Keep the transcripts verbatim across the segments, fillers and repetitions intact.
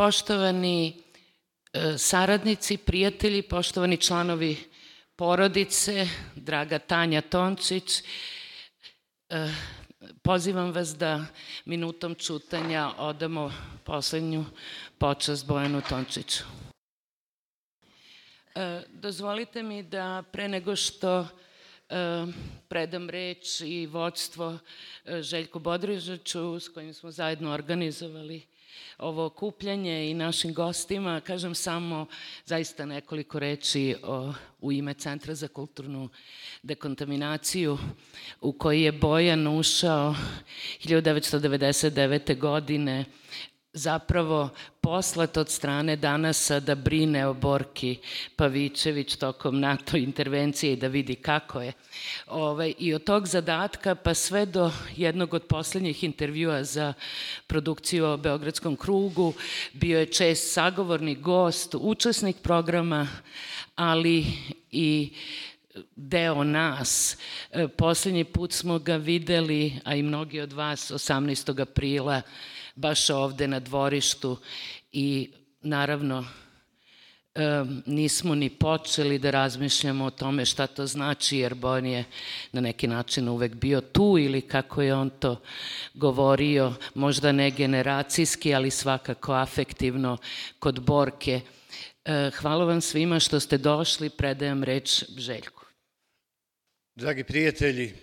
Poštovani saradnici, prijatelji, poštovani članovi porodice, draga Tanja Tončić, pozivam vas da minutom ćutanja odamo poslednju počast Bojanu Tončiću. Dozvolite mi da pre nego što predam reč i vođstvo Željku Bodrižaču, s kojim smo zajedno organizovali ovo okupljanje, i našim gostima, kažem samo zaista nekoliko reči o, u ime Centra za kulturnu dekontaminaciju, u koji je Bojan ušao hiljadu devetsto devedeset devete. godine, zapravo poslat od strane Danasa da brine o Borki Pavićević tokom NATO intervencije i da vidi kako je. Ove, I od tog zadatka pa sve do jednog od poslednjih intervjua za produkciju o Beogradskom krugu bio je čest sagovornik, gost, učesnik programa, ali i deo nas. Poslednji put smo ga videli, a i mnogi od vas, osamnaestog aprila, baš ovde na dvorištu, i naravno nismo ni počeli da razmišljamo o tome šta to znači, jer Bojan je na neki način uvek bio tu, ili kako je on to govorio, možda ne generacijski, ali svakako afektivno kod Borke. Hvala vam svima što ste došli, predajem reč Željku. Dragi prijatelji,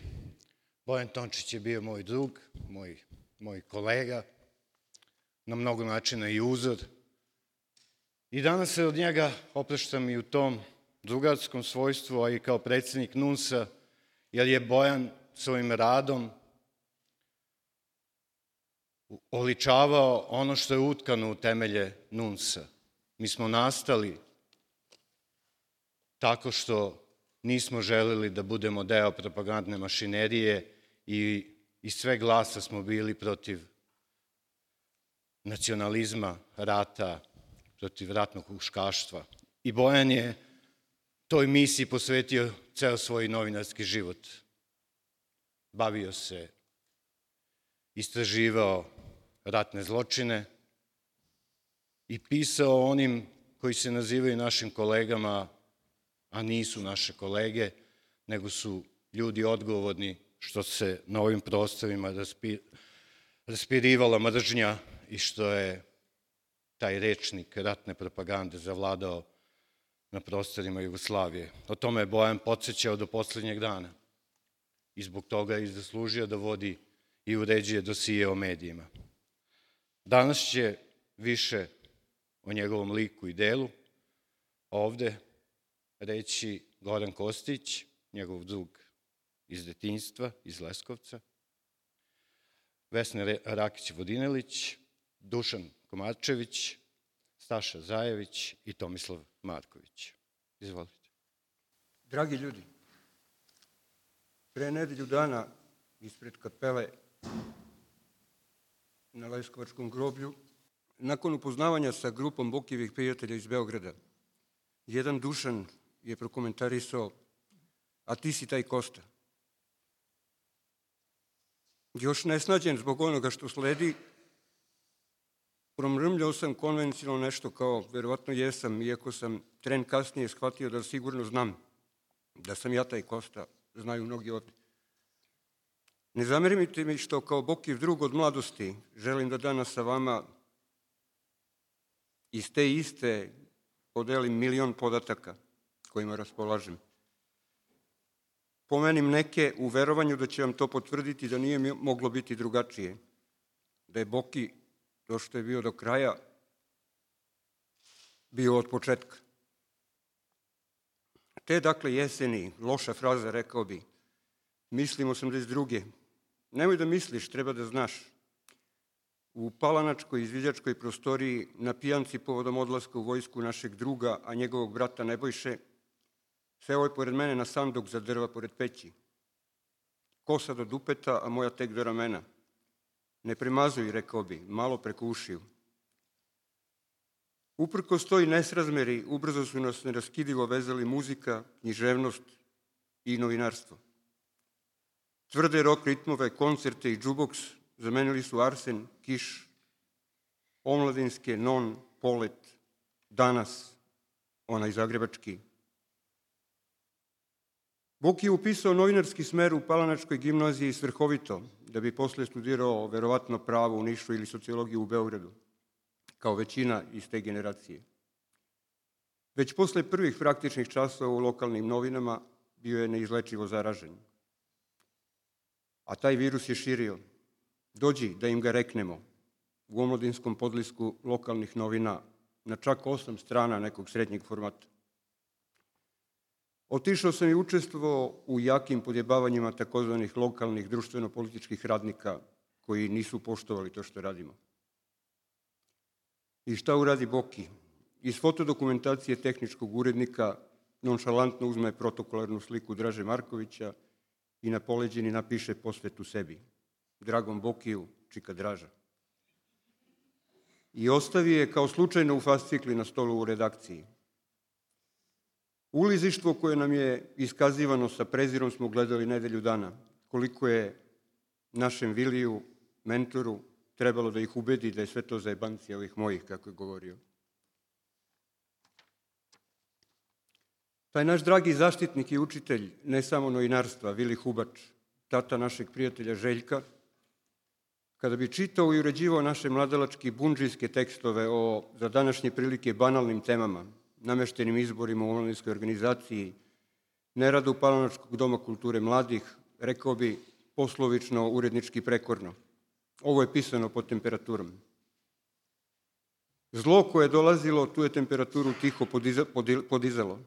Bojan Tončić je bio moj drug, moj, moj kolega, na mnogo načina i uzor. I danas se od njega opraštam i u tom drugarskom svojstvu, a i kao predsednik NUNS-a, jer je Bojan svojim radom oličavao ono što je utkano u temelje NUNS-a. Mi smo nastali tako što nismo želeli da budemo deo propagandne mašinerije i iz sve glasa smo bili protiv nacionalizma, rata, protiv ratnog huškaštva. I Bojan je toj misiji posvetio ceo svoj novinarski život. Bavio se, istraživao ratne zločine i pisao onim koji se nazivaju našim kolegama, a nisu naše kolege, nego su ljudi odgovorni što se na ovim prostorima raspirivala mržnja i što je taj rečnik ratne propagande zavladao na prostorima Jugoslavije. O tome je Bojan podsećao do poslednjeg dana i zbog toga je i zaslužio da vodi i uređuje dosije o medijima. Danas će više o njegovom liku i delu ovde reći Goran Kostić, njegov drug iz detinjstva, iz Leskovca, Vesna Rakić-Vodinelić, Dušan Komarčević, Staša Zajević i Tomislav Marković. Izvolite. Dragi ljudi, pre nedelju dana ispred kapele na Leskovačkom groblju, nakon upoznavanja sa grupom Bokijevih prijatelja iz Beograda, jedan Dušan je prokomentarisao: a ti si taj Kosta. Još nesnađen zbog onoga što sledi, promrmljao sam konvencionalno nešto kao verovatno jesam, iako sam tren kasnije shvatio da sigurno znam da sam ja taj Kosta, znaju mnogi ovde. Ne zamerite mi što kao Bokijev drug od mladosti želim da danas sa vama iz te iste podelim milion podataka kojima raspolažem. Pomenim neke u verovanju da će vam to potvrditi da nije moglo biti drugačije, da je Boki, to što je bio do kraja, bio od početka. Te, dakle, jeseni, loša fraza, rekao bi, mislim osamdeset druge. Nemoj da misliš, treba da znaš. U palanačkoj izviđačkoj prostoriji na pijanci povodom odlaska u vojsku našeg druga, a njegovog brata Nebojše, seo je pored mene na sanduk za drva pored peći. Kosa do dupeta, a moja tek do ramena. Ne premazuj, rekao bi, malo preko ušiju. Uprkos toj nesrazmeri, ubrzo su nas neraskidivo vezali muzika, književnost i novinarstvo. Tvrde rock ritmove, koncerte i džuboks zamenili su arsen, kiš, omladinske, non, polet, danas, onaj zagrebački. Boki je upisao novinarski smer u Palanačkoj gimnaziji svrhovito, da bi posle studirao verovatno pravo u Nišu ili sociologiju u Beogradu, kao većina iz te generacije. Već posle prvih praktičnih časova u lokalnim novinama bio je neizlečivo zaražen. A taj virus je širio. Dođi da im ga reknemo u omladinskom podlisku lokalnih novina na čak osam strana nekog srednjeg formata. Otišao sam i učestvovao u jakim podjebavanjima takozvanih lokalnih društveno-političkih radnika koji nisu poštovali to što radimo. I šta uradi Boki? Iz fotodokumentacije tehničkog urednika nonšalantno uzme protokolarnu sliku Draže Markovića i na poleđini napiše posvetu sebi. Dragom Bokiju, čika Draža. I ostavi je kao slučajno u fascikli na stolu u redakciji. Ulizištvo koje nam je iskazivano sa prezirom smo gledali nedelju dana. Koliko je našem Viliju, mentoru, trebalo da ih ubedi da je sve to zajebancija ovih mojih, kako je govorio. Taj naš dragi zaštitnik i učitelj, ne samo novinarstva, Vili Hubač, tata našeg prijatelja Željka, kada bi čitao i uređivao naše mladalački bundžijske tekstove o, za današnje prilike, banalnim temama, nameštenim izborima u omladinskoj organizaciji, neradu Palanačkog doma kulture mladih, rekao bi poslovično, urednički prekorno. Ovo je pisano pod temperaturom. Zlo koje je dolazilo, tu je temperaturu tiho podizalo.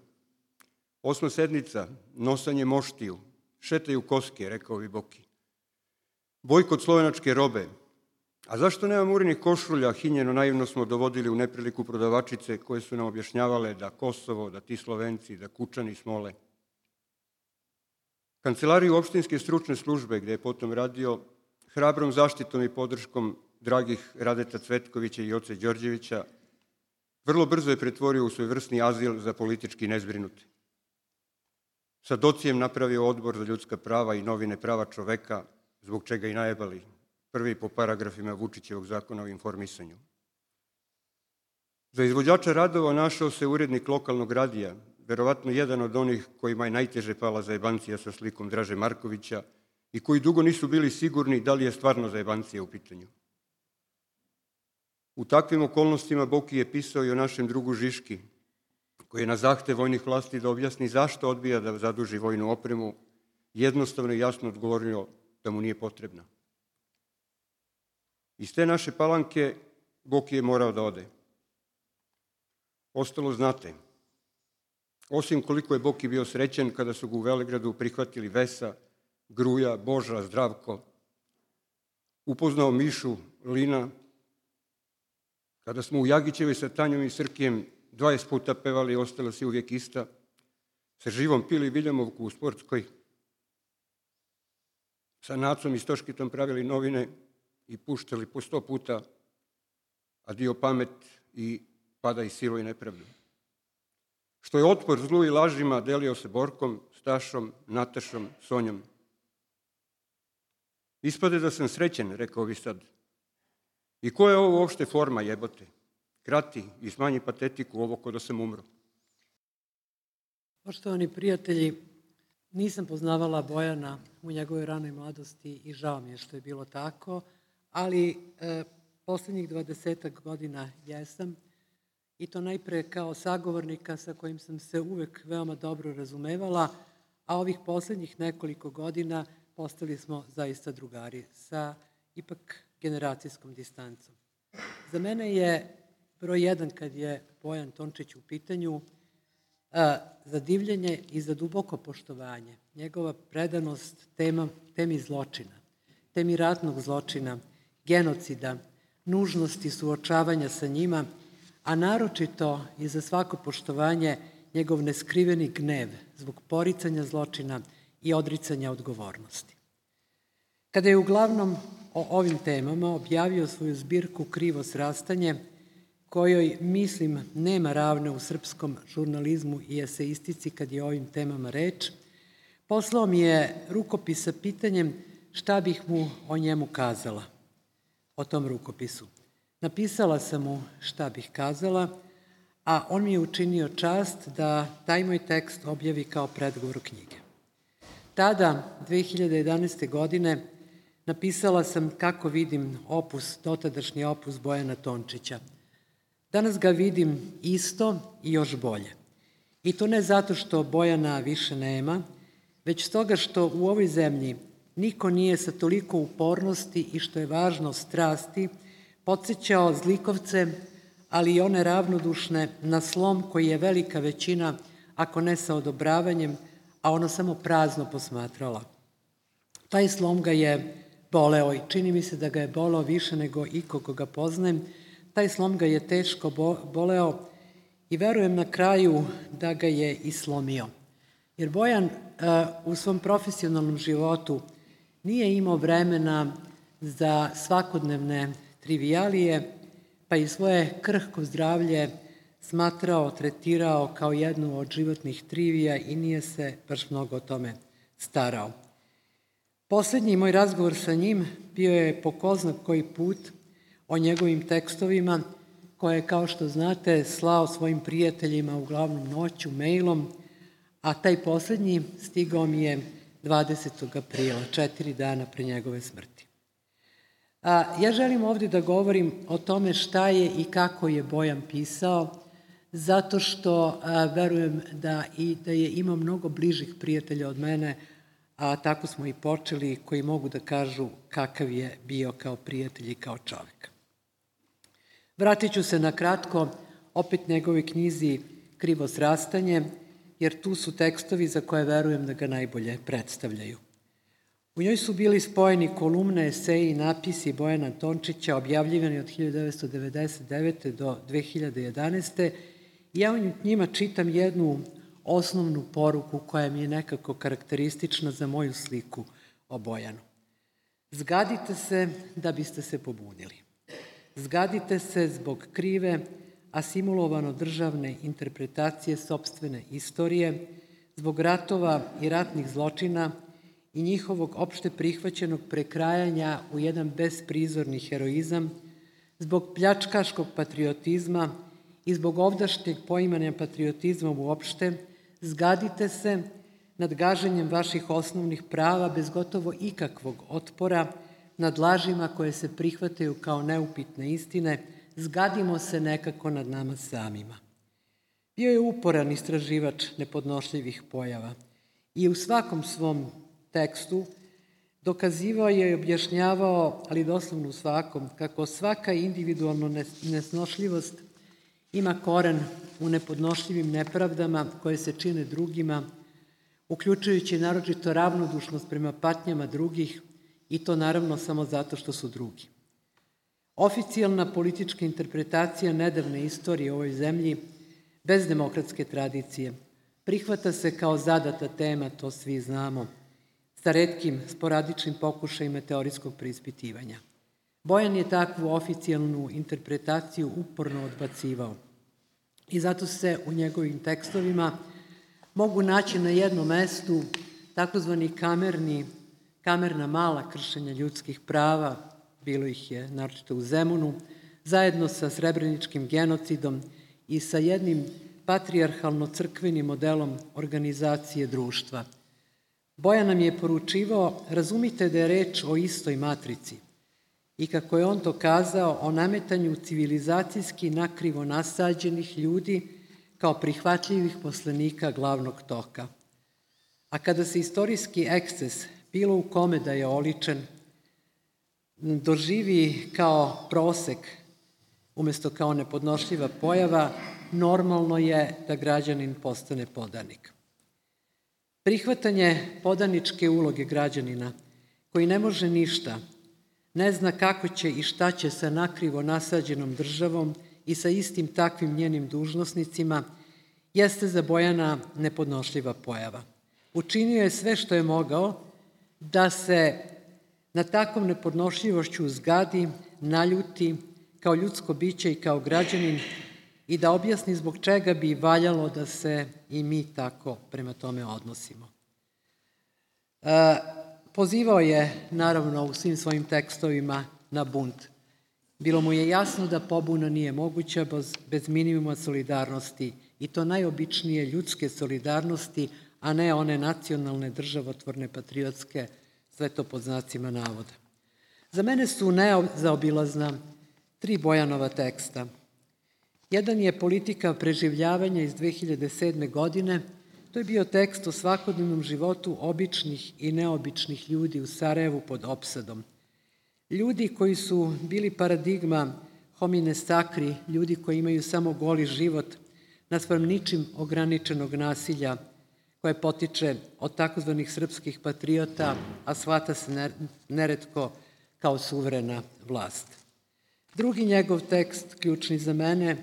Osma sednica, nosanje moštiju, šetaju koske, rekao bi Boki. Bojkot slovenačke robe. A zašto nema murinih košulja? Hinjeno naivno smo dovodili u nepriliku prodavačice koje su nam objašnjavale da Kosovo, da ti Slovenci, da Kučani smole. Kancelariju opštinske stručne službe, gde je potom radio, hrabrom zaštitom i podrškom dragih Radeta Cvetkovića i Joce Đorđevića, vrlo brzo je pretvorio u svojevrsni azil za politički nezbrinute. Sa docijem napravio odbor za ljudska prava i novine prava čoveka, zbog čega i najebali, prvi po paragrafima Vučićevog zakona o informisanju. Za izvođača radova našao se urednik lokalnog radija, verovatno jedan od onih kojima je najteže pala zajebancija sa slikom Draže Markovića i koji dugo nisu bili sigurni da li je stvarno zajebancija u pitanju. U takvim okolnostima Boki je pisao i o našem drugu Žiški, koji je na zahtev vojnih vlasti da objasni zašto odbija da zaduži vojnu opremu, jednostavno i jasno odgovorio da mu nije potrebna. Iz te naše Palanke Boki je morao da ode. Ostalo znate. Osim koliko je Boki bio srećen kada su ga u Velegradu prihvatili Vesa, Gruja, Boža, Zdravko, upoznao Mišu, Lina, kada smo u Jagićevoj sa Tanjom i Srkijem dvadeset puta pevali, ostala si uvijek ista, sa Živom pili Viljamovku u Sportskoj, sa Nacom i Stoškitom pravili novine i puštali po sto puta Adio pamet i Pada i silu i nepravdu. Što je otpor zlu i lažima delio se Borkom, Stašom, Natašom, Sonjom. Ispade da sam srećen, rekao bi sad. I koja je ovo uopšte forma, jebote? Krati i smanji patetiku ovo ko da sam umro. Poštovani prijatelji, nisam poznavala Bojana u njegovoj ranoj mladosti i žao mi je što je bilo tako, ali e, poslednjih dvadesetak godina jesam, i to najpre kao sagovornika sa kojim sam se uvek veoma dobro razumevala, a ovih poslednjih nekoliko godina postali smo zaista drugari sa ipak generacijskom distancom. Za mene je broj jedan, kad je Bojan Tončić u pitanju, za divljenje i za duboko poštovanje. Njegova predanost tema, temi zločina, temi ratnog zločina, genocida, nužnosti suočavanja sa njima, a naročito i za svako poštovanje njegov neskriveni gnev zbog poricanja zločina i odricanja odgovornosti. Kada je uglavnom o ovim temama objavio svoju zbirku Krivo srastanje, kojoj, mislim, nema ravne u srpskom žurnalizmu i eseistici kad je o ovim temama reč, poslao mi je rukopis sa pitanjem šta bih mu o njemu kazala, o tom rukopisu. Napisala sam mu šta bih kazala, a on mi je učinio čast da taj moj tekst objavi kao predgovor knjige. Tada, dve hiljade jedanaeste. godine, napisala sam kako vidim opus, dotadašnji opus Bojana Tončića. Danas ga vidim isto i još bolje. I to ne zato što Bojana više nema, već stoga što u ovoj zemlji niko nije sa toliko upornosti i, što je važno, strasti, podsjećao zlikovce, ali i one ravnodušne, na slom koji je velika većina, ako ne sa odobravanjem, a ono samo prazno posmatrala. Taj slom ga je boleo i čini mi se da ga je boleo više nego iko koga poznajem. Taj slom ga je teško boleo i verujem na kraju da ga je i slomio. Jer Bojan u svom profesionalnom životu nije imao vremena za svakodnevne trivialije, pa i svoje krhko zdravlje smatrao, tretirao kao jednu od životnih trivija i nije se baš mnogo o tome starao. Poslednji moj razgovor sa njim bio je po ko zna koji put o njegovim tekstovima, koje je, kao što znate, slao svojim prijateljima uglavnom noću, mailom, a taj poslednji stigao mi je dvadesetog aprila, četiri dana pre njegove smrti. A, ja želim ovdje da govorim o tome šta je i kako je Bojan pisao, zato što a, verujem da, i, da je imao mnogo bližih prijatelja od mene, a tako smo i počeli, koji mogu da kažu kakav je bio kao prijatelj i kao čovek. Vratit ću se na kratko opet njegovoj knjizi Krivo srastanje, jer tu su tekstovi za koje verujem da ga najbolje predstavljaju. U njoj su bili spojeni kolumne, eseji i napisi Bojana Tončića, objavljivani od hiljadu devetsto devedeset devete. do dve hiljade jedanaeste. I ja u njima čitam jednu osnovnu poruku koja mi je nekako karakteristična za moju sliku o Bojanu. Zgadite se da biste se pobunili. Zgadite se zbog krive, asimulovano državne interpretacije sopstvene istorije, zbog ratova i ratnih zločina i njihovog opšte prihvaćenog prekrajanja u jedan besprizorni heroizam, zbog pljačkaškog patriotizma i zbog ovdašnjeg poimanja patriotizma uopšte, zgadite se nad gaženjem vaših osnovnih prava bez gotovo ikakvog otpora, nad lažima koje se prihvataju kao neupitne istine, zgadimo se nekako nad nama samima. Bio je uporan istraživač nepodnošljivih pojava i u svakom svom tekstu dokazivao je i objašnjavao, ali doslovno u svakom, kako svaka individualna nesnošljivost ima koren u nepodnošljivim nepravdama koje se čine drugima, uključujući naročito ravnodušnost prema patnjama drugih, i to naravno samo zato što su drugi. Oficijalna politička interpretacija nedavne istorije u ovoj zemlji, bez demokratske tradicije, prihvata se kao zadata tema, to svi znamo, sa retkim sporadičnim pokušajima teorijskog preispitivanja. Bojan je takvu oficijalnu interpretaciju uporno odbacivao i zato se u njegovim tekstovima mogu naći na jednom mestu takozvani kamerni, kamerna mala kršenja ljudskih prava, bilo ih je naročito u Zemunu, zajedno sa srebreničkim genocidom i sa jednim patrijarhalno-crkvenim modelom organizacije društva. Bojan nam je poručivao, razumite da je reč o istoj matrici i kako je on to kazao, o nametanju civilizacijski nakrivo nasađenih ljudi kao prihvatljivih poslenika glavnog toka. A kada se istorijski eksces, bilo u kome da je oličen, doživi kao prosek umesto kao nepodnošljiva pojava, normalno je da građanin postane podanik. Prihvatanje podaničke uloge građanina, koji ne može ništa, ne zna kako će i šta će sa nakrivo nasađenom državom i sa istim takvim njenim dužnosnicima, jeste za Bojana nepodnošljiva pojava. Učinio je sve što je mogao da se na takvom nepodnošljivošću zgadi, naljuti kao ljudsko biće i kao građanin i da objasni zbog čega bi valjalo da se i mi tako prema tome odnosimo. E, pozivao je, naravno, u svim svojim tekstovima na bunt. Bilo mu je jasno da pobuna nije moguća bez minimuma solidarnosti, i to najobičnije ljudske solidarnosti, a ne one nacionalne, državotvorne, patriotske, sve to pod znacima navoda. Za mene su nezaobilazna tri Bojanova teksta. Jedan je Politika preživljavanja iz dve hiljade sedme. godine. To je bio tekst o svakodnevnom životu običnih i neobičnih ljudi u Sarajevu pod opsadom. Ljudi koji su bili paradigma homine sacri, ljudi koji imaju samo goli život, naspram ničim ograničenog nasilja koje potiče od takozvanih srpskih patriota, a shvata se neretko kao suverena vlast. Drugi njegov tekst, ključni za mene,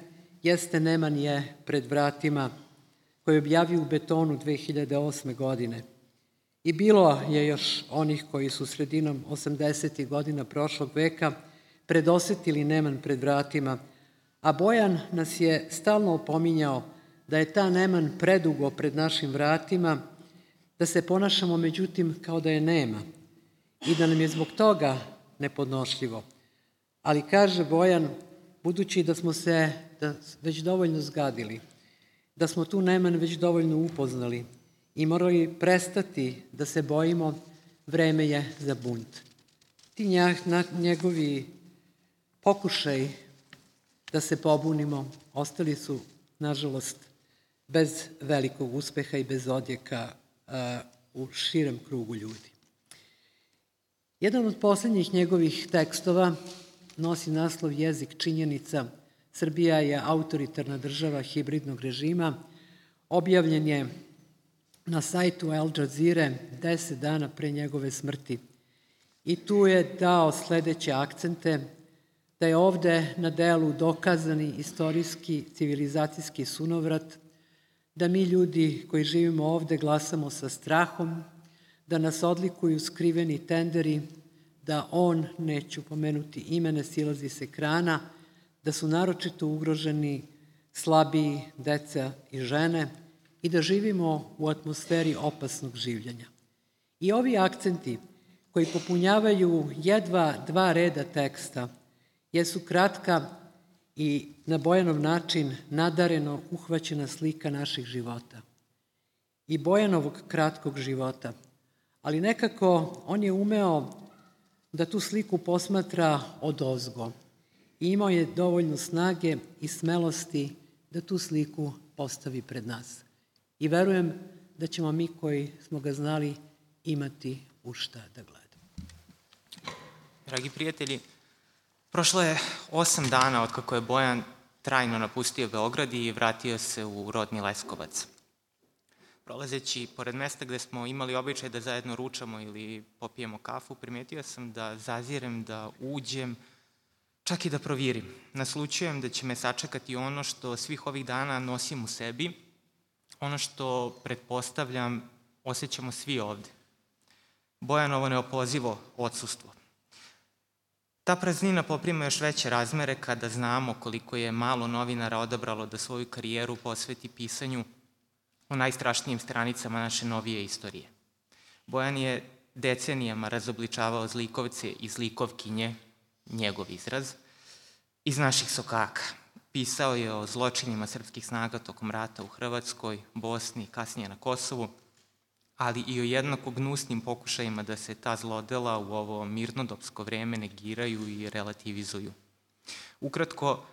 jeste Neman je pred vratima, koji je objavio u Betonu dve hiljade osme. godine. I bilo je još onih koji su sredinom osamdesetih godina prošlog veka predosetili Neman pred vratima, a Bojan nas je stalno opominjao da je ta Neman predugo pred našim vratima, da se ponašamo međutim kao da je nema i da nam je zbog toga nepodnošljivo. Ali kaže Bojan, budući da smo se da već dovoljno zgadili, da smo tu Neman već dovoljno upoznali i morali prestati da se bojimo, vreme je za bunt. Ti njegovi pokušaj da se pobunimo ostali su, nažalost, bez velikog uspeha i bez odjeka u širem krugu ljudi. Jedan od poslednjih njegovih tekstova nosi naslov Jezik činjenica. Srbija je autoritarna država hibridnog režima. Objavljen je na sajtu Al Jazeere deset dana pre njegove smrti. I tu je dao sledeće akcente, da je ovde na delu dokazani istorijski civilizacijski sunovrat, da mi ljudi koji živimo ovde glasamo sa strahom, da nas odlikuju skriveni tenderi, da on, neću pomenuti ime, ne silazi s ekrana, da su naročito ugroženi slabiji, deca i žene i da živimo u atmosferi opasnog življenja. I ovi akcenti koji popunjavaju jedva dva reda teksta jesu kratka i na Bojanov način nadareno uhvaćena slika naših života. I Bojanovog kratkog života. Ali nekako on je umeo da tu sliku posmatra odozgo. I imao je dovoljno snage i smelosti da tu sliku postavi pred nas. I verujem da ćemo mi koji smo ga znali imati u šta da gledamo. Dragi prijatelji, prošlo je osam dana od kako je Bojan trajno napustio Beograd i vratio se u rodni Leskovac. Prolazeći pored mesta gde smo imali običaj da zajedno ručamo ili popijemo kafu, primetio sam da zazirem da uđem, čak i da provirim. Naslučujem da će me sačekati ono što svih ovih dana nosim u sebi, ono što, pretpostavljam, osjećamo svi ovde. Bojanovo neopozivo odsustvo. Ta praznina poprima još veće razmere kada znamo koliko je malo novinara odabralo da svoju karijeru posveti pisanju o najstrašnijim stranicama naše novije istorije. Bojan je decenijama razobličavao zlikovce i zlikovkinje, njegov izraz, iz naših sokaka. Pisao je o zločinima srpskih snaga tokom rata u Hrvatskoj, Bosni, kasnije na Kosovu, ali i o jednako gnusnim pokušajima da se ta zlodela u ovo mirnodopsko vreme negiraju i relativizuju. Ukratko,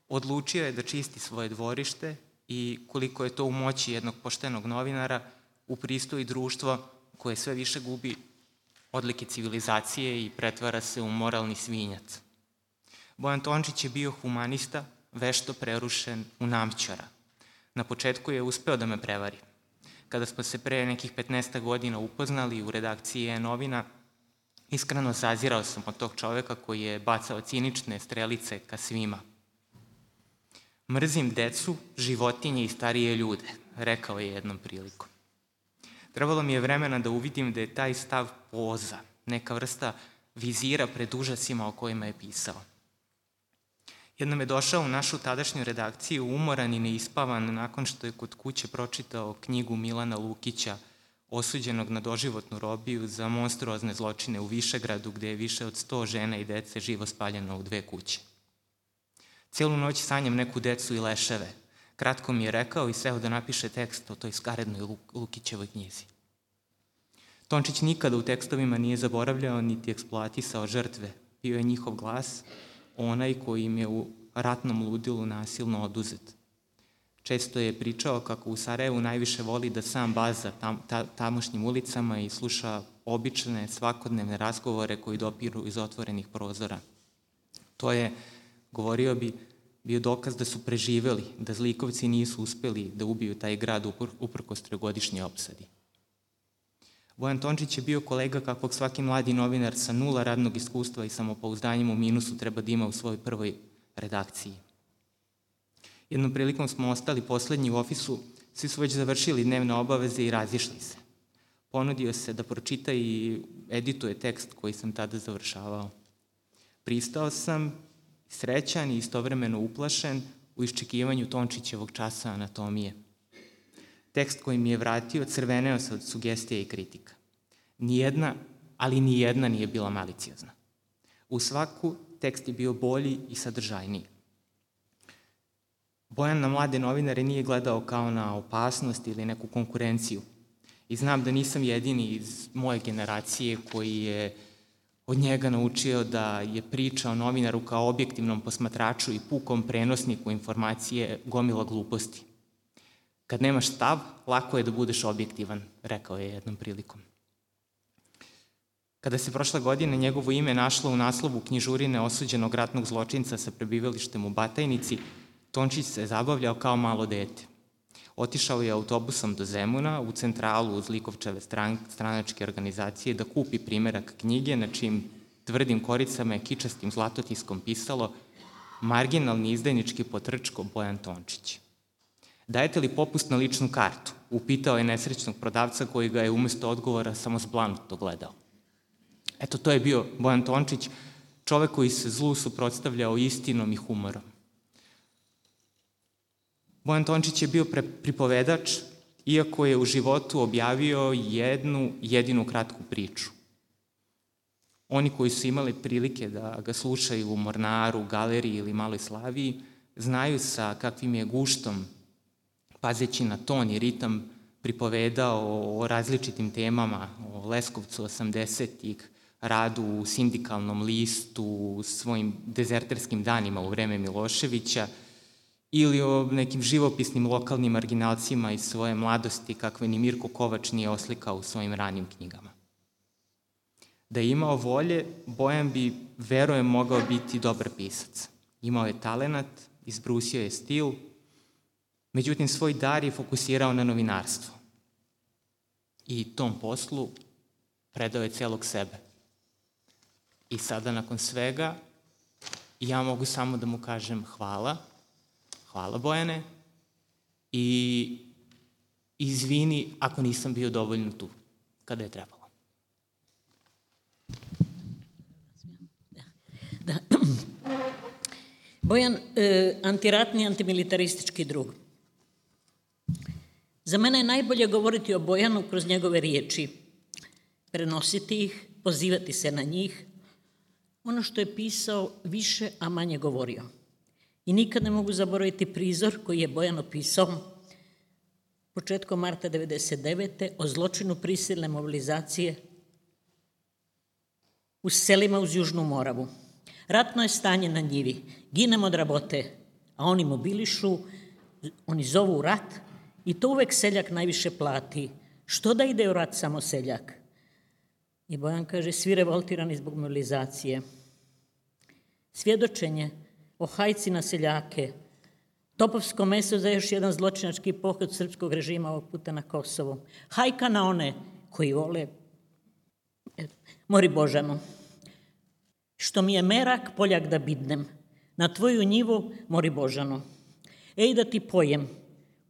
odlučio je da čisti svoje dvorište i koliko je to u moći jednog poštenog novinara, upristoji društvo koje sve više gubi odlike civilizacije i pretvara se u moralni svinjac. Bojan Tončić je bio humanista, vešto prerušen u namćara. Na početku je uspeo da me prevari. Kada smo se pre nekih petnaest godina upoznali u redakciji E-novina, iskreno zazirao sam od tog čoveka koji je bacao cinične strelice ka svima. Mrzim decu, životinje i starije ljude, rekao je jednom prilikom. Trebalo mi je vremena da uvidim da je taj stav poza, neka vrsta vizira pred užasima o kojima je pisao. Jednom je došao u našu tadašnju redakciju umoran i neispavan nakon što je kod kuće pročitao knjigu Milana Lukića, osuđenog na doživotnu robiju za monstruozne zločine u Višegradu, gde je više od sto žena i dece živo spaljeno u dve kuće. Celu noć sanjam neku decu i leševe. Kratko mi je rekao i seo da napiše tekst o toj skarednoj Lukićevoj knjizi. Tončić nikada u tekstovima nije zaboravljao niti eksploatisao žrtve. Bio je njihov glas, onaj koji im je u ratnom ludilu nasilno oduzet. Često je pričao kako u Sarajevu najviše voli da sam baza tam, ta, tamošnjim ulicama i sluša obične, svakodnevne razgovore koji dopiru iz otvorenih prozora. To je, govorio bi, bio dokaz da su preživeli, da zlikovci nisu uspeli da ubiju taj grad uprkos trogodišnje opsadi. Bojan Tončić je bio kolega kakvog svaki mladi novinar sa nula radnog iskustva i samopouzdanjem u minusu treba da ima u svojoj prvoj redakciji. Jednom prilikom smo ostali poslednji u ofisu, svi su već završili dnevne obaveze i razišli se. Ponudio se da pročita i edituje tekst koji sam tada završavao. Pristao sam, srećan i istovremeno uplašen u iščekivanju Tončićevog časa anatomije. Tekst koji mi je vratio crveneo se od sugestija i kritika. Nijedna, ali nijedna nije bila maliciozna. U svaku tekst je bio bolji i sadržajniji. Bojan na mlade novinare nije gledao kao na opasnost ili neku konkurenciju. I znam da nisam jedini iz moje generacije koji je od njega naučio da je priča o novinaru kao objektivnom posmatraču i pukom prenosniku informacije gomila gluposti. Kad nemaš stav, lako je da budeš objektivan, rekao je jednom prilikom. Kada se prošle godine njegovo ime našlo u naslovu knjižurine osuđenog ratnog zločinca sa prebivalištem u Batajnici, Tončić se zabavljao kao malo dete. Otišao je autobusom do Zemuna, u centralu uz Zlikovčeve stran, stranačke organizacije, da kupi primerak knjige na čijim tvrdim koricama je kičastim zlatotiskom pisalo marginalni izdajnički potrčko Bojan Tončić. Dajete li popust na ličnu kartu? Upitao je nesrećnog prodavca koji ga je umesto odgovora samo zblanuto gledao. Eto, to je bio Bojan Tončić, čovek koji se zlu suprotstavljao istinom i humorom. Bojan Tončić je bio pripovedač, iako je u životu objavio jednu jedinu kratku priču. Oni koji su imali prilike da ga slušaju u Mornaru, Galeriji ili Maloj Slaviji, znaju sa kakvim je guštom, pazeći na ton i ritam, pripovedao o različitim temama, o Leskovcu osamdesetih, radu u sindikalnom listu, svojim dezerterskim danima u vreme Miloševića, ili o nekim živopisnim lokalnim marginalcima iz svoje mladosti kakve ni Mirko Kovač nije oslikao u svojim ranim knjigama. Da je imao volje, Bojan bi, verujem, mogao biti dobar pisac. Imao je talenat, izbrusio je stil, međutim svoj dar je fokusirao na novinarstvo. I tom poslu predao je celog sebe. I sada, nakon svega, ja mogu samo da mu kažem hvala, hvala Bojane, i izvini ako nisam bio dovoljno tu kada je trebalo. Da. Bojan, e, antiratni, antimilitaristički drug. Za mene je najbolje govoriti o Bojanu kroz njegove riječi, prenositi ih, pozivati se na njih, ono što je pisao više, a manje govorio. I nikad ne mogu zaboraviti prizor koji je Bojan opisao početkom marta devedeset devete o zločinu prisilne mobilizacije u selima uz Južnu Moravu. Ratno je stanje na njivi, ginemo od rabote, a oni mobilišu, oni zovu u rat i to uvek seljak najviše plati. Što da ide u rat samo seljak? I Bojan kaže, svi revoltirani zbog mobilizacije. Svjedočenje o hajci na seljake, topovsko meso za još jedan zločinački pohod srpskog režima ovog puta na Kosovo. Hajka na one koji vole mori Božanu. Što mi je merak, poljak da bidnem, na tvoju njivu mori Božano. Ej da ti pojem,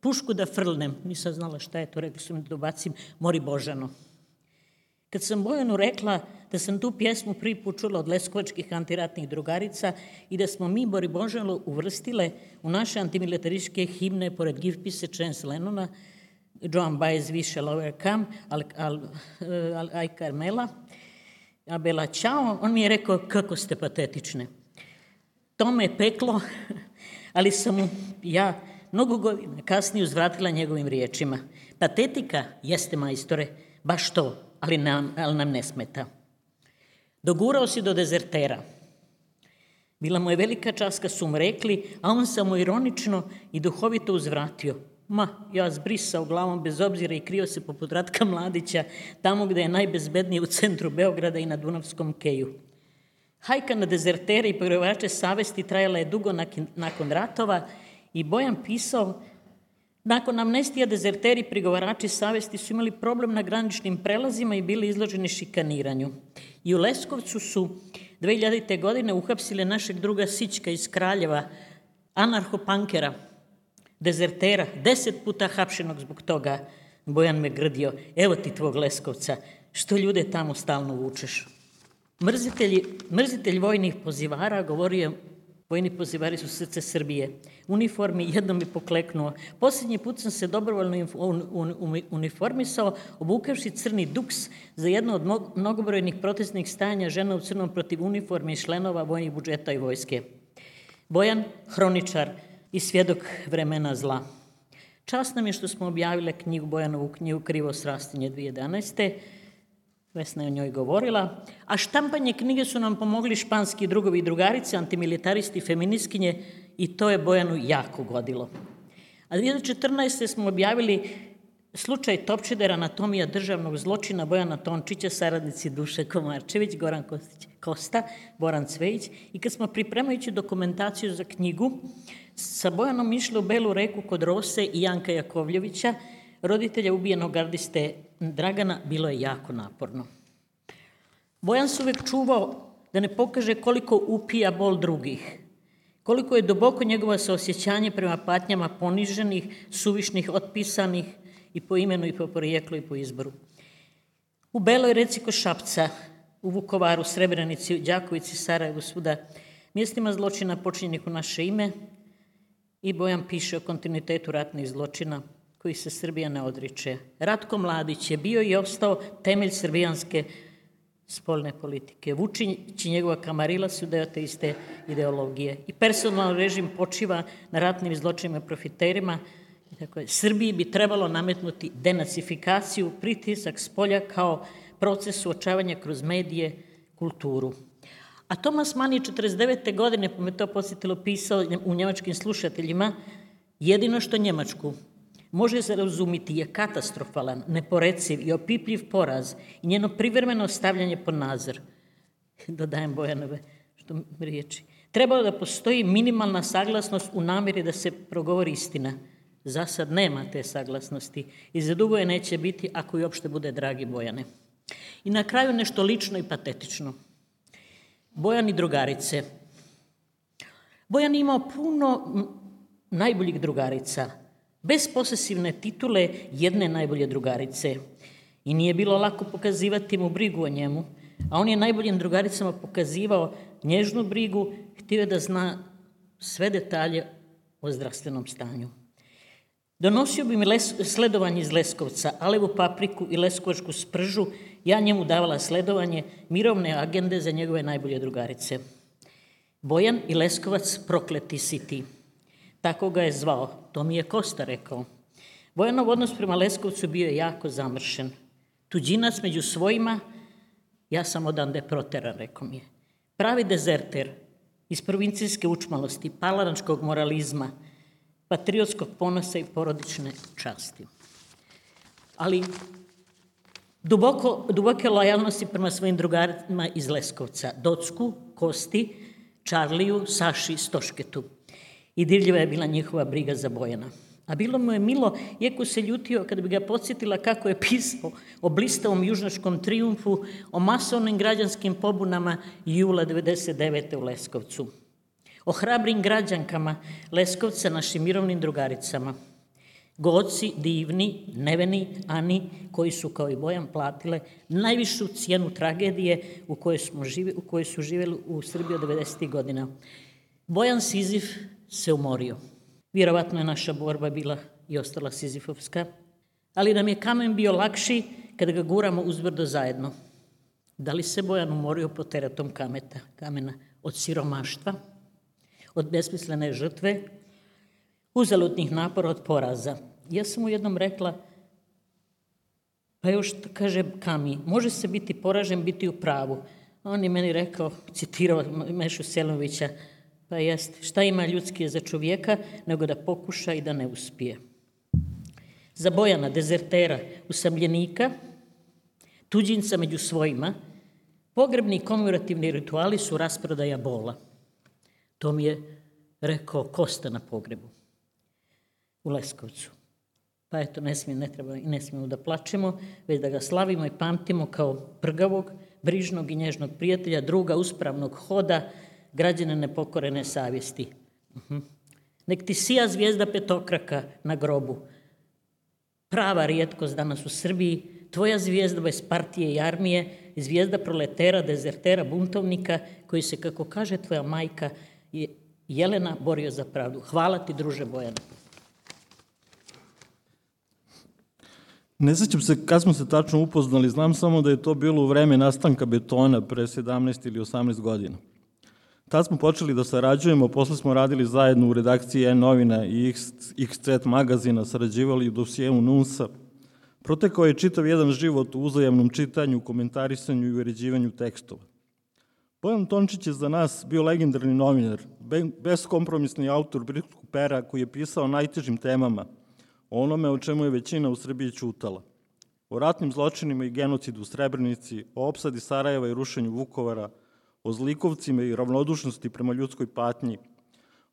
pušku da frlnem, nisam znala šta je to, rekli su mi da dobacim, mori Božano. Kad sam Bojanu rekla da sam tu pjesmu prvi put čula od leskovačkih antiratnih drugarica i da smo mi Mori Božano uvrstile u naše antimilitarističke himne pored Give Peace a Chance Lennona, Joan Baez, We Shall Overcome, Al, Al, Al, Al Carmela, Abela Ćao, on mi je rekao kako ste patetične. To me peklo, ali sam mu ja mnogo godina kasnije uzvratila njegovim riječima. Patetika jeste, majstore, baš to, ali nam, ali nam ne smeta. Dogurao si do dezertera. Bila mu je velika čast kad su mu rekli, a on samo ironično i duhovito uzvratio. Ma, ja zbrisao glavom bez obzira i krio se poput Ratka Mladića, tamo gde je najbezbednije u centru Beograda i na Dunavskom keju. Hajka na dezertere i pogrovače savesti trajala je dugo nakon ratova i Bojan pisao, nakon amnestija dezerteri i prigovarači savesti su imali problem na graničnim prelazima i bili izloženi šikaniranju. I u Leskovcu su dve hiljadite. godine uhapsile našeg druga Sićka iz Kraljeva, anarhopankera, dezertera, deset puta hapšenog zbog toga. Bojan me grdio, evo ti tvog Leskovca, što ljude tamo stalno vučeš. Mrzitelji, mrzitelj vojnih pozivara govorio, vojni pozivari su srce Srbije. Uniformi jednom mi pokleknuo. Posljednji put sam se dobrovoljno uniformisao, obukavši crni duks za jedno od mnogobrojnih protestnih stajanja žena u crnom protiv uniformi i šlenova vojnih budžeta i vojske. Bojan, hroničar i svjedok vremena zla. Čast nam je što smo objavile knjigu, Bojanovu knjigu Krivo srastinje dve hiljade jedanaeste. Vesna je o njoj govorila, a štampanje knjige su nam pomogli španski drugovi i drugarice, antimilitaristi i feministkinje i to je Bojanu jako godilo. A dve hiljade četrnaeste. smo objavili slučaj Topčider, anatomija državnog zločina Bojana Tončića, saradnici Duše Komarčević, Goran Kostić, Kosta, Boran Cvejić i kad smo pripremajući dokumentaciju za knjigu sa Bojanom išli u Belu reku kod Rose i Janka Jakovljevića, roditelja ubijenog gardiste Dragana, bilo je jako naporno. Bojan se uvek čuvao da ne pokaže koliko upija bol drugih, koliko je duboko njegovo saosjećanje prema patnjama poniženih, suvišnih, otpisanih i po imenu i po porijeklu i po izboru. U Beloj reci kod Šapca, u Vukovaru, Srebrenici, Đakovici, Sarajevu, svuda, mjestima zločina počinjenih u naše ime i Bojan piše o kontinuitetu ratnih zločina koji se Srbija ne odriče. Ratko Mladić je bio i ostao temelj srbijanske spoljne politike. Vučić i njegova kamarila su deo te iste ideologije. I personalno režim počiva na ratnim zločinima profiterima. Srbiji bi trebalo nametnuti denacifikaciju, pritisak spolja kao proces suočavanja kroz medije, kulturu. A Tomas Mann je četrdeset devete. godine, pa me to podsjetilo, pisao u njemačkim slušateljima, jedino što Njemačku može se razumiti je katastrofalan, neporeciv i opipljiv poraz i njeno privremeno stavljanje pod nadzor. Dodajem Bojanove što riječi. Trebalo da postoji minimalna saglasnost u namjeri da se progovori istina. Za sad nema te saglasnosti i za dugo je neće biti ako i uopšte bude, dragi Bojane. I na kraju nešto lično i patetično. Bojan i drugarice. Bojan je imao puno najboljih drugarica, bez posesivne titule jedne najbolje drugarice. I nije bilo lako pokazivati mu brigu o njemu, a on je najboljim drugaricama pokazivao nježnu brigu, htio je da zna sve detalje o zdravstvenom stanju. Donosio bi mi les, sledovanje iz Leskovca, alevu papriku i leskovačku spržu, ja njemu davala sledovanje, mirovne agende za njegove najbolje drugarice. Bojan i Leskovac, prokleti si ti. Tako ga je zvao, to mi je Kosta rekao. Bojanov odnos prema Leskovcu bio je jako zamršen. Tuđinac među svojima, ja sam odande proteran, rekao mi je. Pravi dezerter iz provincijske učmalosti, palanačkog moralizma, patriotskog ponosa i porodične časti. Ali duboko, duboke lojalnosti prema svojim drugarima iz Leskovca, Docku, Kosti, Čarliju, Saši, Stošketu. I dirljiva je bila njihova briga za Bojana. A bilo mu je milo, iako se ljutio kada bi ga podsjetila kako je pisao o blistavom južnačkom trijumfu, o masovnim građanskim pobunama jula devedeset devete. u Leskovcu. O hrabrim građankama Leskovca, našim mirovnim drugaricama. Goci, divni, neveni, Ani, koji su kao i Bojan platile najvišu cijenu tragedije u kojoj, smo žive, u kojoj su živjeli u Srbiji od devedesetih. godina. Bojan Sizif se umorio. Vjerovatno je naša borba bila i ostala sizifovska, ali nam je kamen bio lakši kada ga guramo uzbrdo zajedno. Da li se Bojan umorio pod teretom kameta, kamena? Od siromaštva, od besmislene žrtve uzaludnih napora od poraza. Ja sam mu jednom rekla, pa još kaže Kami, može se biti poražen, biti u pravu. A on je meni rekao, citirao Mešu Selimovića, pa jest, šta ima ljudski za čovjeka, nego da pokuša i da ne uspije. Za Bojana, dezertera, usamljenika, tuđinca među svojima, pogrebni i komemorativni rituali su rasprodaja bola. To mi je rekao Kosta na pogrebu u Leskovcu. Pa eto, ne smijemo, ne treba i ne smijemo da plačemo, već da ga slavimo i pamtimo kao prgavog, brižnog i nježnog prijatelja, druga uspravnog hoda, građana nepokorene savjesti. Uh-huh. Nek ti sija zvijezda petokraka na grobu. Prava rijetkost danas u Srbiji, tvoja zvijezda bez partije i armije, zvijezda proletera, dezertera, buntovnika, koji se, kako kaže tvoja majka, Jelena, borio za pravdu. Hvala ti, druže Bojane. Ne sjećam se kad smo se tačno upoznali, znam samo da je to bilo u vreme nastanka betona pre sedamnaest ili osamnaest godina. Tad smo počeli da sarađujemo, posle smo radili zajedno u redakciji E-novina i X C magazina, sarađivali u dosijeu Nunsa. Protekao je čitav jedan život u uzajamnom čitanju, komentarisanju i uređivanju tekstova. Bojan Tončić je za nas bio legendarni novinar, beskompromisni autor britskog pera koji je pisao o najtežim temama, o onome o čemu je većina u Srbiji ćutala. O ratnim zločinima i genocidu u Srebrenici, o opsadi Sarajeva i rušenju Vukovara, o zlikovcima i ravnodušnosti prema ljudskoj patnji,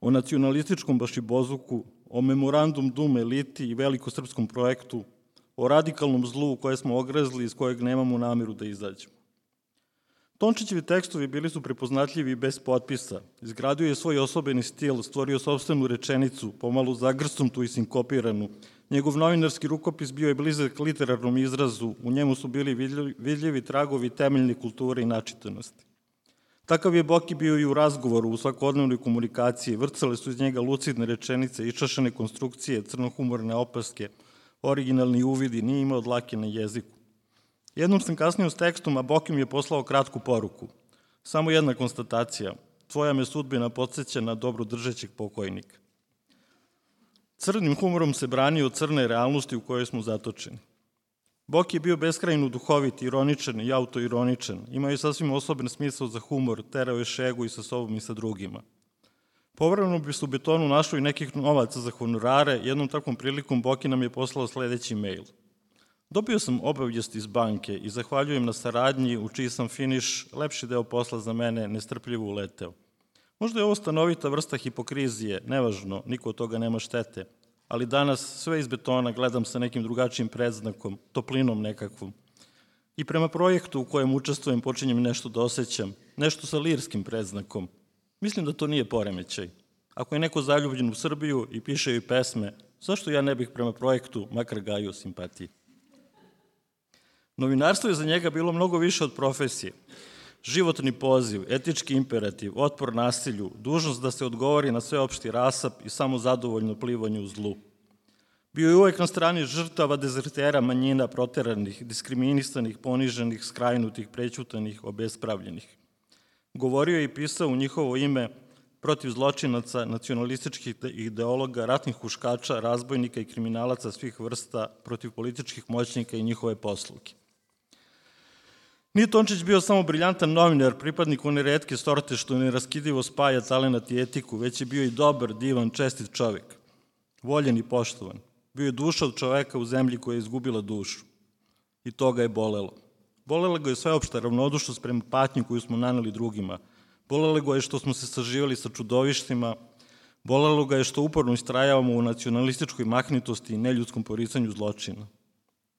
o nacionalističkom bašibozuku, o memorandum Dum eliti i velikosrpskom projektu, o radikalnom zlu u koje smo ogrezli i iz kojeg nemamo nameru da izađemo. Tončićevi tekstovi bili su prepoznatljivi i bez potpisa. Izgradio je svoj osobeni stil, stvorio sopstvenu rečenicu, pomalo zagrsnutu i sinkopiranu. Njegov novinarski rukopis bio je blizak literarnom izrazu, u njemu su bili vidljivi tragovi temeljne kulture i načitanosti. Takav je Boki bio i u razgovoru, u svakodnevnoj komunikaciji, vrcale su iz njega lucidne rečenice, iščašene konstrukcije, crnohumorne opaske, originalni uvidi, nije imao dlake na jeziku. Jednom sam kasnio s tekstom, a Boki mi je poslao kratku poruku. Samo jedna konstatacija. Tvoja me sudbina podsjeća na dobro držećeg pokojnika. Crnim humorom se branio od crne realnosti u kojoj smo zatočeni. Boki je bio beskrajno duhovit, ironičan i autoironičan. Imao je sasvim osoben smisao za humor, terao je šegu i sa sobom i sa drugima. Povremeno bi se u betonu našlo i nekih novaca za honorare, jednom takvom prilikom Boki nam je poslao sledeći mail. Dobio sam obavijest iz banke i zahvaljujem na saradnji u čiji sam finiš lepši deo posla za mene nestrpljivo uleteo. Možda je ovo stanovita vrsta hipokrizije, nevažno, niko od toga nema štete, ali danas sve iz betona gledam sa nekim drugačijim predznakom, toplinom nekakvom. I prema projektu u kojem učestvujem počinjem nešto da osjećam, nešto sa lirskim predznakom. Mislim da to nije poremećaj. Ako je neko zaljubljen u Srbiju i piše joj pesme, zašto ja ne bih prema projektu makar gajio simpatiji? Novinarstvo je za njega bilo mnogo više od profesije. Životni poziv, etički imperativ, otpor nasilju, dužnost da se odgovori na sveopšti rasap i samo zadovoljno plivanje u zlu. Bio je uvek na strani žrtava, dezertera, manjina, proteranih, diskriminisanih, poniženih, skrajnutih, prećutanih, obespravljenih. Govorio je i pisao u njihovo ime protiv zločinaca, nacionalističkih ideologa, ratnih huškača, razbojnika i kriminalaca svih vrsta, protiv političkih moćnika i njihove posluge. Nije Tončić bio samo briljantan novinar, pripadnik one retke sorte što neraskidivo spaja talenat i etiku, već je bio i dobar, divan, čestit čovek. Voljen i poštovan. Bio je duša od čoveka u zemlji koja je izgubila dušu. I to ga je bolelo. Bolela ga je sveopšta ravnodušnost prema patnji koju smo naneli drugima. Bolelo ga je što smo se saživali sa čudovištima. Bolelo ga je što uporno istrajavamo u nacionalističkoj mahnitosti i neljudskom poricanju zločina.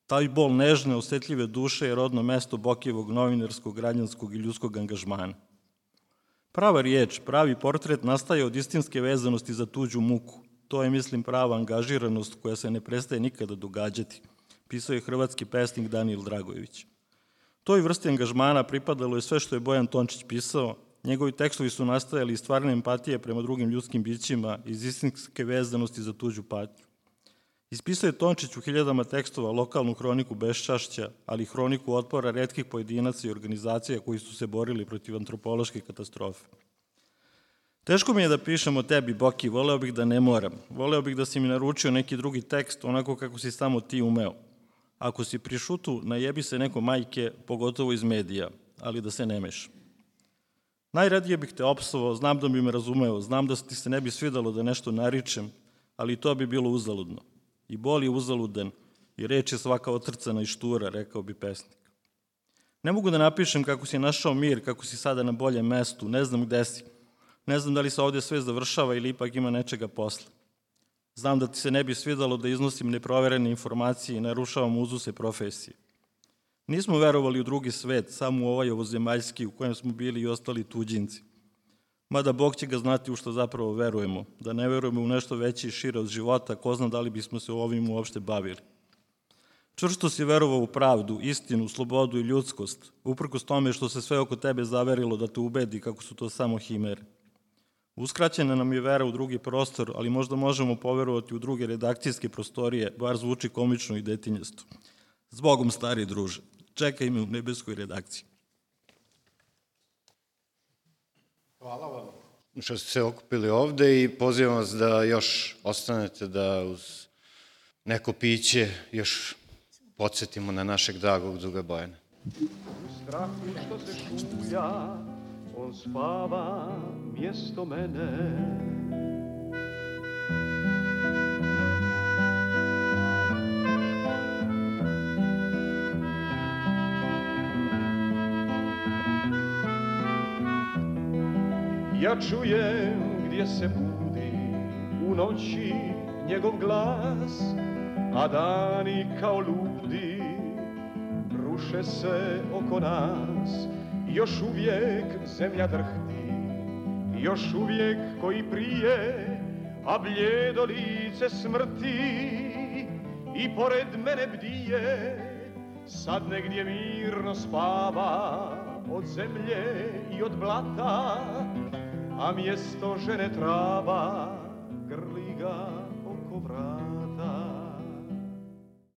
Taj bol nežne, osetljive duše je rodno mesto Bokijevog novinarskog, građanskog i ljudskog angažmana. Prava riječ, pravi portret nastaje od istinske vezanosti za tuđu muku. To je, mislim, prava angažiranost koja se ne prestaje nikada događati, pisao je hrvatski pesnik Danijel Dragojević. Toj vrsti angažmana pripadalo je sve što je Bojan Tončić pisao. Njegovi tekstovi su nastajali iz stvarne empatije prema drugim ljudskim bićima, iz istinske vezanosti za tuđu patnju. Ispisao je Tončić u hiljadama tekstova lokalnu hroniku beščašća, ali i hroniku otpora retkih pojedinaca i organizacija koji su se borili protiv antropološke katastrofe. Teško mi je da pišem o tebi, Boki, voleo bih da ne moram. Voleo bih da si mi naručio neki drugi tekst, onako kako si samo ti umeo. Ako si pri šutu, najebi se neko majke, pogotovo iz medija, ali da se ne meša. Najradije bih te opsovao, znam da bi me razumeo, znam da ti se ne bi svidalo da nešto naričem, ali to bi bilo uzaludno. I bol je uzaludan, i reč je svaka otrcana i štura, rekao bi pesnik. Ne mogu da napišem kako si našao mir, kako si sada na boljem mestu, ne znam gde si. Ne znam da li se ovdje sve završava ili ipak ima nečega posle. Znam da ti se ne bi svidalo da iznosim neproverene informacije i narušavam uzuse profesije. Nismo verovali u drugi svet, samo u ovaj ovozemaljski u kojem smo bili i ostali tuđinci. Mada Bog će ga znati u što zapravo verujemo, da ne verujemo u nešto veće i šire od života, ko zna da li bismo se ovim uopšte bavili. Čvrsto si verovao u pravdu, istinu, slobodu i ljudskost, uprkos tome što se sve oko tebe zaverilo da te ubedi kako su to samo himere. Uskraćena nam je vera u drugi prostor, ali možda možemo poverovati u druge redakcijske prostorije, bar zvuči komično i detinjasto. Zbogom, stari druže, čekaj me u nebeskoj redakciji. Hvala vam što ste se okupili ovde i pozivam vas da još ostanete da uz neko piće još podsjetimo na našeg dragog druga Bojana. U strahu što se šulja, on spava mjesto mene. Ja čujem gdje se budi u noći njegov glas, a dani kao ludi ruše se oko nas. Još uvijek zemlja drhti, još uvijek koji prije, a bljedo lice smrti i pored mene bdije. Sad negdje mirno spava od zemlje i od blata, a mjesto žene trava